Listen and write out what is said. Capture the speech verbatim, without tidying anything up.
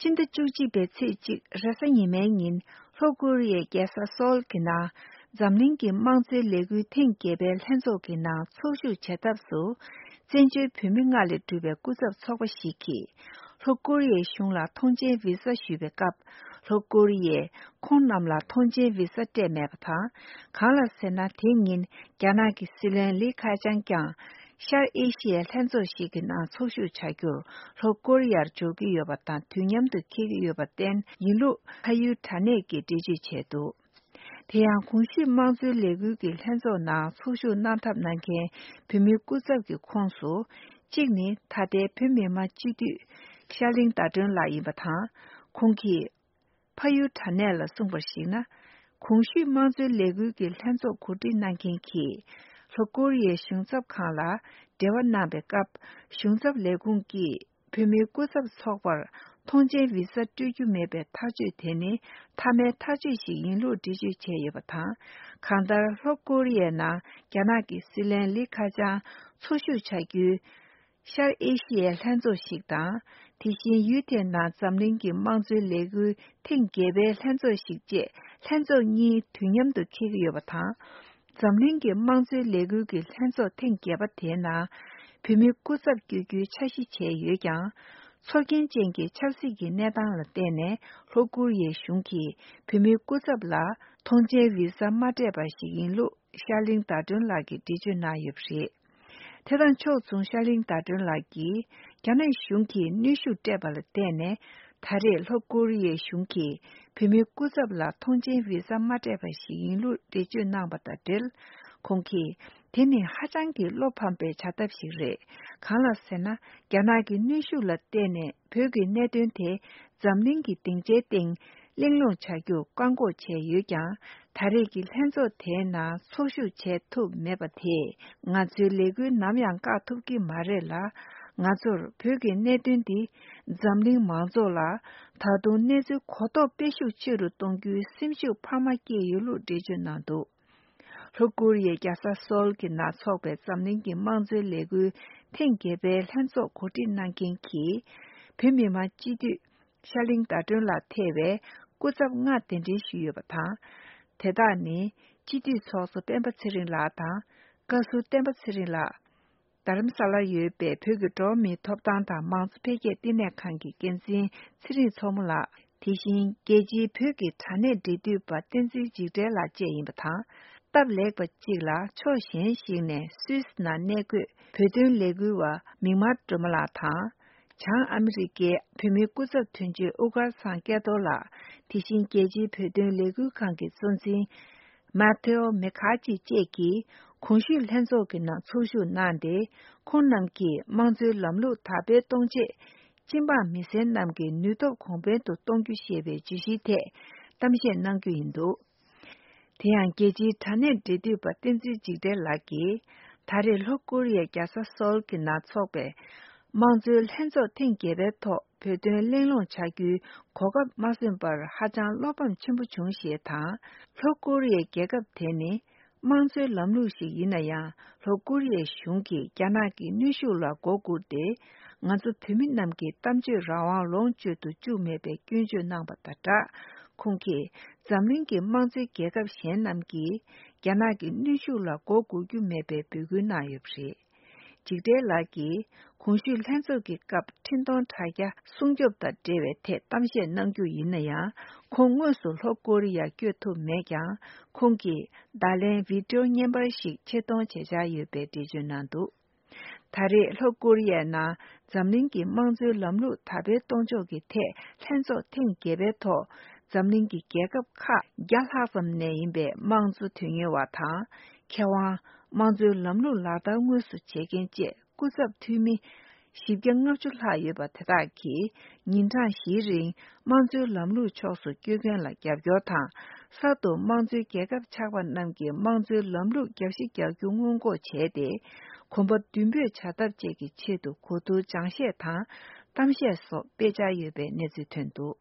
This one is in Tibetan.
སྤྱི་ཟླ་བཅུ་གཅིག་པའི་ཚེས་གཅིག་རེས་གཟའ་ཉི་མའི་ཉིན་ལྷོ་ཀོ་རི་ཡའི་རྒྱལ་ས་སོལ་གྱི་ནང་འཛམ་གླིང་གི་དམངས་གཙོའི་ལས་འགུལ་ཐེངས་བརྒྱད་པའི་ལྷན་ཚོགས་ཀྱི་ནང་ཚོགས་ཞུགས་བྱེད་ཐབས་སུ་བཙན་བྱོལ་བོད་མི་ལྔ་ལས་གྲུབ་པའི་སྐུ་ཚབ་ཚོགས་པ་ཞིག་གིས་ལྷོ་ཀོ་རི་ཡའི་གཞུང་ལ་ཐོངས་མཆན་བི་ས་ཞུས་པའི་སྐབས། ལྷོ་ཀོ་རི་ཡས་ཁོང་རྣམས་ལ་ཐོངས་མཆན་བི་ས་སྤྲད་མེད་པ་དང་། གང་ལ་ཟེར་ན། དེ་ཉིན་རྒྱ་ནག་གི་སྲིད་བློན་ལི་ཁེ་ཆང་ཀྱང་ཤར་ཨེ་ཤི་ཡའི་ལྷན་ཚོགས་ཤིག་གི་ནང་ཚོགས་ཞུགས་བྱ་རྒྱུར་ལྷོ་ཀོ་རི་ཡར་འབྱོར་གྱི་ཡོད་པ་དང་དུས་མཉམ་དུ་འཁེལ་གྱི་ཡོད་པར་བརྟེན། ཡིན་ལུགས་ཕ་ཡུལ་དྲ་གནས་ཀྱིས་འགྲེལ་བརྗོད་བྱས་འདུག་དེ་ཡང་གོང་ཞུས་དམངས་གཙོའི་ལས་འགུལ་གྱི་ལྷན་ཚོགས་ནང་ཚོགས་ཞུགས་གནང་ཐབས་གནང་མཁན་བོད་མིའི་སྐུ་ཚབ་ཀྱི་ཁོངས་སུ། གཅིག་ནི་ད་ལྟའི་བོད་མི་མང་སྤྱི་འཐུས་ཤར་གླིང་ཟླ་སྒྲོན་ལགས་ཡིན་པ་དང་། ཁོང་གིས་ཕ་ཡུལ་དྲ་གནས་ལ་གསུངས་པར་གཞིགས་ན། གོང་ཞུས་དམངས་གཙོའི་ལས་འགུལ་གྱི་ལྷན་ཚོགས་གོ་སྒྲིག་གནང་མཁན་གྱིས་ལྷོ་ཀོ་རི་ཡའི་གཞུང་ཚབ་ཁང་ལ་འབྲེལ་བ་གནང་པའི་སྐབས། གཞུང་ཚབ་ལས་ཁུངས་ཀྱིས་བོད་མིའི་སྐུ་ཚབ་ཚོགས་པར་ཐོངས་མཆན་བི་ས་སྤྲོད་རྒྱུ་མེད་པའི་ཐག་གཅོད་དེ་ནི་མཐའ་མའི་ཐག་གཅོད་ཞིག་ཡིན་ལུགས་འགྲེལ་བརྗོད་བྱས་ཡོད་པ་དང་། གང་ལྟར་ལྷོ་ཀོ་རི་ཡའི་ནང་རྒྱ་ནག་གི་སྲིད་བློན་ལི་ཁེ་ཆང་འཚོ་བཞུགས་བྱ་རྒྱུའི་ཤར་ཨེ་ཤི་ཡའི་ལྷན་ཚོགས་ཤིག་དང་། དེ་བཞིན་ཡུལ་དེའི་ནང་འཛམ་གླིང་གི་དམངས་གཙོའི་ལས་འགུལ་ཐེངས་བརྒྱད་པའི་ལྷན་ཚོགས་ཤིག་བཅས་ལྷན་ཚོགས་གཉིས་དུས་མཉམ་དུ་འཁེལ་གྱི་ཡོད་པ་དང་། འཛམ་གླིང་གི་དམངས་གཙོའི་ལས་འགུལ་གྱི་ལྷན་ཚོགས་ཐེངས་བརྒྱད་པ་དེའི་ནང་བོད་མི་སྐུ་ཚབ་བསྐྱོད་རྒྱུའི་འཆར་གཞི་བྱས་ཡོད་ཀྱང་། ཚོར་སྐྱེན་ཅན་གྱི་ཆབ་སྲིད་ཀྱི་གནས་སྟངས་ལ་བརྟེན་ནས་ལྷོ་ཀོ་རི་ཡའི་གཞུང་གིས་བོད་མིའི་སྐུ་ཚབ་ལ་ཐོངས་མཆན་བི་ས་མ་སྤྲད་པ་ཞིག་ཡིན་ལུགས་ཤར་གླིང་ཟླ་སྒྲོན་ལགས་ཀྱིས་འགྲེལ་བརྗོད་གནང་ཡོད་པ་རེད། དེ་དང་ཕྱོགས་མཚུངས་ཤར་གླིང་ཟླ་སྒྲོན་ལགས་ཀྱིས་རྒྱ་ནག་གཞུང་གིས་གནོན་ཤུགས་སྤྲད་པ་ལ་བརྟེན་ནས། ད་རེས་ལྷོ་ཀོ་རི་ཡའི་གཞུང་གིས་བོད་མིའི་སྐུ་ཚབ་ལ་ཐོངས་མཆན་བི་ས་མ་སྤྲད་པ་ཞིག་ཡིན་ལུགས་འགྲེལ་བརྗོད་གནང་པ་དང་འབྲེལ། ཁོང་གིས། དེ་ནི་ཧ་ཅང་གི་བློ་ཕམ་པའི་བྱ་ཐབས་ཤིག་རེད། གང་ལ་ཟེར་ན། རྒྱ་ནག་གི་གནོན་ཤུགས་ལ་བརྟེན་ནས་བོད་ཀྱི་གནད་དོན་དེ་འཛམ་གླིང་གི་སྡིངས་ཆའི་སྟེང་གླེང་སློང་བྱ་རྒྱུར་བཀག་འགོག་བྱས་ཡོད་ཀྱང་། ད་རེས་ཀྱི་ལྷན་ཚོགས་དེའི་ནང་ཚོགས་ཞུགས་བྱས་ཐུབ་མེད་པ་དེས་ང་ཚོའི་ལས་འགུལ་ནམ་ཡང་བཀག་ཐུབ་ཀྱི་མ་རེད་ལ། ང་ཚོར་བོད་ཀྱི་གནད་དོན་འདི་འཛམ་གླིང་མང་ཚོགས་ལ་ད་དུང་གནས་ཚུལ་གོ་རྟོགས་སྤེལ་ཤུགས་ཆེ་རུ་གཏོང་རྒྱུའི་སེམས་ཤུགས་འཕར་མ་སྐྱེས་ཡོད་ལུགས་འགྲེལ་བརྗོད་གནང་འདུག་ལྷོ་ཀོ་རི་ཡའི་རྒྱལ་ས་སོལ་གྱི་ནང་འཚོགས་པའི་འཛམ་གླིང་གི་དམངས་གཙོའི་ལས་འགུལ་ཐེངས་བརྒྱད་པའི་ལྷན་ཚོགས་གོ་སྒྲིག་གནང་མཁན་གྱི་བོད་མི་མང་སྤྱི་འཐུས་ཤར་གླིང་ཟླ་སྒྲོན་ལགས་ཐེ་བའི་སྐུ་ཚབ་ལྔ་གདན་འདྲེན་ཞུས་ཡོད་པ་དང་། དེ་དག་ནི་སྤྱི་འཐུས་ཚོགས་གཙོ་སྤེན་པ་ཚེ་རིང་ལགས་དང་། བཀའ་ཟུར་བསྟན་པ་ཚེ་རིང་ལགས། རྡ་རམ་ས་ལར་ཡོད་པའི་བོད་ཀྱི་འགྲོ་བ་མིའི་ཐོབ་ཐང་དང་མང་གཙོ་འཕེལ་རྒྱས་བསྟི་གནས་ཁང་གི་འགན་འཛིན་ཚེ་རིང་མཚོ་མོ་ལགས། དེ་བཞིན་རྒྱལ་སྤྱིའི་བོད་ཀྱི་དྲ་གནས་འབྲེལ་མཐུད་པ་བསྟན་འཛིན་འཇིགས་བྲལ་ལགས་བཅས་ཡིན་པ་དང་། སྟབས་ལེགས་པ་གཅིག་ལ་ཕྱོགས་གཞན་ཞིག་ནས་སུད་སི་ནང་གནས་འཁོད་བོད་དོན་ལས་འགུལ་བ་མིག་དམར་སྒྲོལ་མ་ལགས་དང་། བྱང་ཨ་མི་རི་ཀའི་བོད་མིའི་སྐུ་ཚབ་དོན་གཅོད་དབུ་དཀར་ཚང་སྐལ་རྡོར་ལགས། དེ་བཞིན་རྒྱལ་སྤྱིའི་བོད་དོན་ལས་འགུལ་ཁང་གི་གཙོ་འཛིན། མཱ་ཐེའོ་མེ་ཁ་ཅི་བཅས་ཀྱིས་གོང་ཞུས་ལྷན་ཚོགས་ཀྱི་ནང་ཚོགས་ཞུགས་གནང་སྟེ། ཁོང་རྣམས་ཀྱིས་དམངས་གཙོའི་ལམ་ལུགས་དར་སྤེལ་གཏོང་ཆེད། སྤྱི་འབངས་མི་སེར་རྣམས་ཀྱི་ནུས་སྟོབས་གོང་འཕེལ་དུ་གཏོང་རྒྱུ་ཞེས་པའི་བརྗོད་གཞིའི་ཐད་གཏམ་བཤད་གནང་རྒྱུ་ཡིན་འདུག་དེ་ཡང་རྒྱལ་སྤྱིའི་དྲ་གནས་འབྲེལ་མཐུད་པ་བསྟན་འཛིན་འཇིགས་བྲལ་ལགས་ཀྱིས། ད་རེས་ལྷོ་ཀོ་རི་ཡའི་རྒྱལ་ས་སོལ་གྱི་ནང་འཚོགས་པའི་དམངས་གཙོའི་ལྷན་ཚོགས་ཐེངས་བརྒྱད་པའི་ཐོག་བོད་དོན་གླེང་སློང་བྱ་རྒྱུའི་གོ་སྐབས་མ་སོན་པར་ཧ་ཅང་བློ་ཕམ་ཆེན་པོ་བྱུང་ཞེས་དང་། ལྷོ་ཀོ་རི་ཡའི་རྒྱལ་ཁབ་དེ་ནི་དམངས་གཙོའི་ལམ་ལུགས་ཤིག་ཡིན་ན་ཡང་། ལྷོ་ཀོ་རི་ཡའི་གཞུང་གིས་རྒྱ་ནག་གི་གནོན་ཤུགས་ལ་མགོ་སྒུར་ཏེ། ང་ཚོ་བོད་མི་རྣམས་ཀྱི་གཏམ་བརྗོད་རང་དབང་ལོངས་སྤྱོད་དུ་བཅུག་མེད་པའི་སྐྱོན་བརྗོད་གནང་པ་དང་སྦྲགས། ཁོང་གིས་འཛམ་གླིང་གི་དམངས་གཙོའི་རྒྱལ་ཁབ་གཞན་རྣམས་ཀྱིས་རྒྱ་ནག་གི་གནོན་ཤུགས་ལ་མགོ་སྒུར་རྒྱུ་མེད་པའི་འབོད་སྐུལ་གནང་ཡོད་པ་རེད། འཇིགས་བྲལ་ལགས་ཀྱིས་གོང་ཞུས་ལྷན་ཚོགས་ཀྱི་སྐབས་འཕྲིན་གཏོང་དྲ་རྒྱ་སྲུང་སྐྱོབ་དང་འབྲེལ་བའི་ཐད་གཏམ་བཤད་གནང་རྒྱུ་ཡིན་ན་ཡང་། ཁོང་དངོས་སུ་ལྷོ་ཀོ་རི་ཡར་བསྐྱོད་ཐུབ་མེད་ཀྱང་། ཁོང་གིས་བརྡ་ལན་བི་ཌིའོ་བརྙན་པར་ཞིག་ཆེད་གཏོང་བྱེད་འཆར་ཡོད་པའི་འགྲེལ་བརྗོད་གནང་འདུག་ད་རེས་ལྷོ་ཀོ་རི་ཡའི་ནང་འཛམ་གླིང་གི་དམངས་གཙོའི་ལམ་ལུགས་དར་སྤེལ་གཏོང་ཕྱོགས་ཀྱི་ཐད་ལྷན་ཚོགས་ཐེངས་བརྒྱད་པའི་ཐོག་འཛམ་གླིང་གི་རྒྱལ་ཁབ་ཁག་བརྒྱ་ལྷག་ཙམ་ནས་ཡིན་པའི་དམངས་གཙོ་དོན་གཉེར་བ་དང་། མཁས་དབང་། དམངས་གཙོའི་ལམ་ལུགས་ལག་བསྟར་དངོས་སུ་བྱེད་མཁན་བཅས་སྐུ་ཚབ་འཐུས་མི་བཞི་བརྒྱ་ལྔ་བཅུ་ལྷག་ཡོད་པ་དེ་དག་གིས་ཉིན་གྲངས་བཞིའི་རིང་དམངས་གཙོའི་ལམ་ལུགས་ཕྱོགས་སུ་བསྐྱོད་མཁན་ལ་རྒྱབ་སྐྱོར་དང་། གསར་དུ་དམངས་གཙོའི་རྒྱལ་ཁབ་ཆགས་པ་རྣམས་ཀྱི་དམངས་གཙོའི་ལམ་ལུགས་རྒྱབ་བཤིག་རྒྱག་རྒྱུ་སྔོན་འགོག་བྱས་ཏེ། གོམ་པ་མདུན་སྤོས་བྱ་ཐབས་བཅས་ཀྱི་ཆེད་དུ་གོ་བསྡུར་སྦྱང་བཤད་དང་གཏམ་བཤད་སོགས་སྤེལ་འཆར་ཡོད་པའི་གནས་ཚུལ་ཐོན་འདུག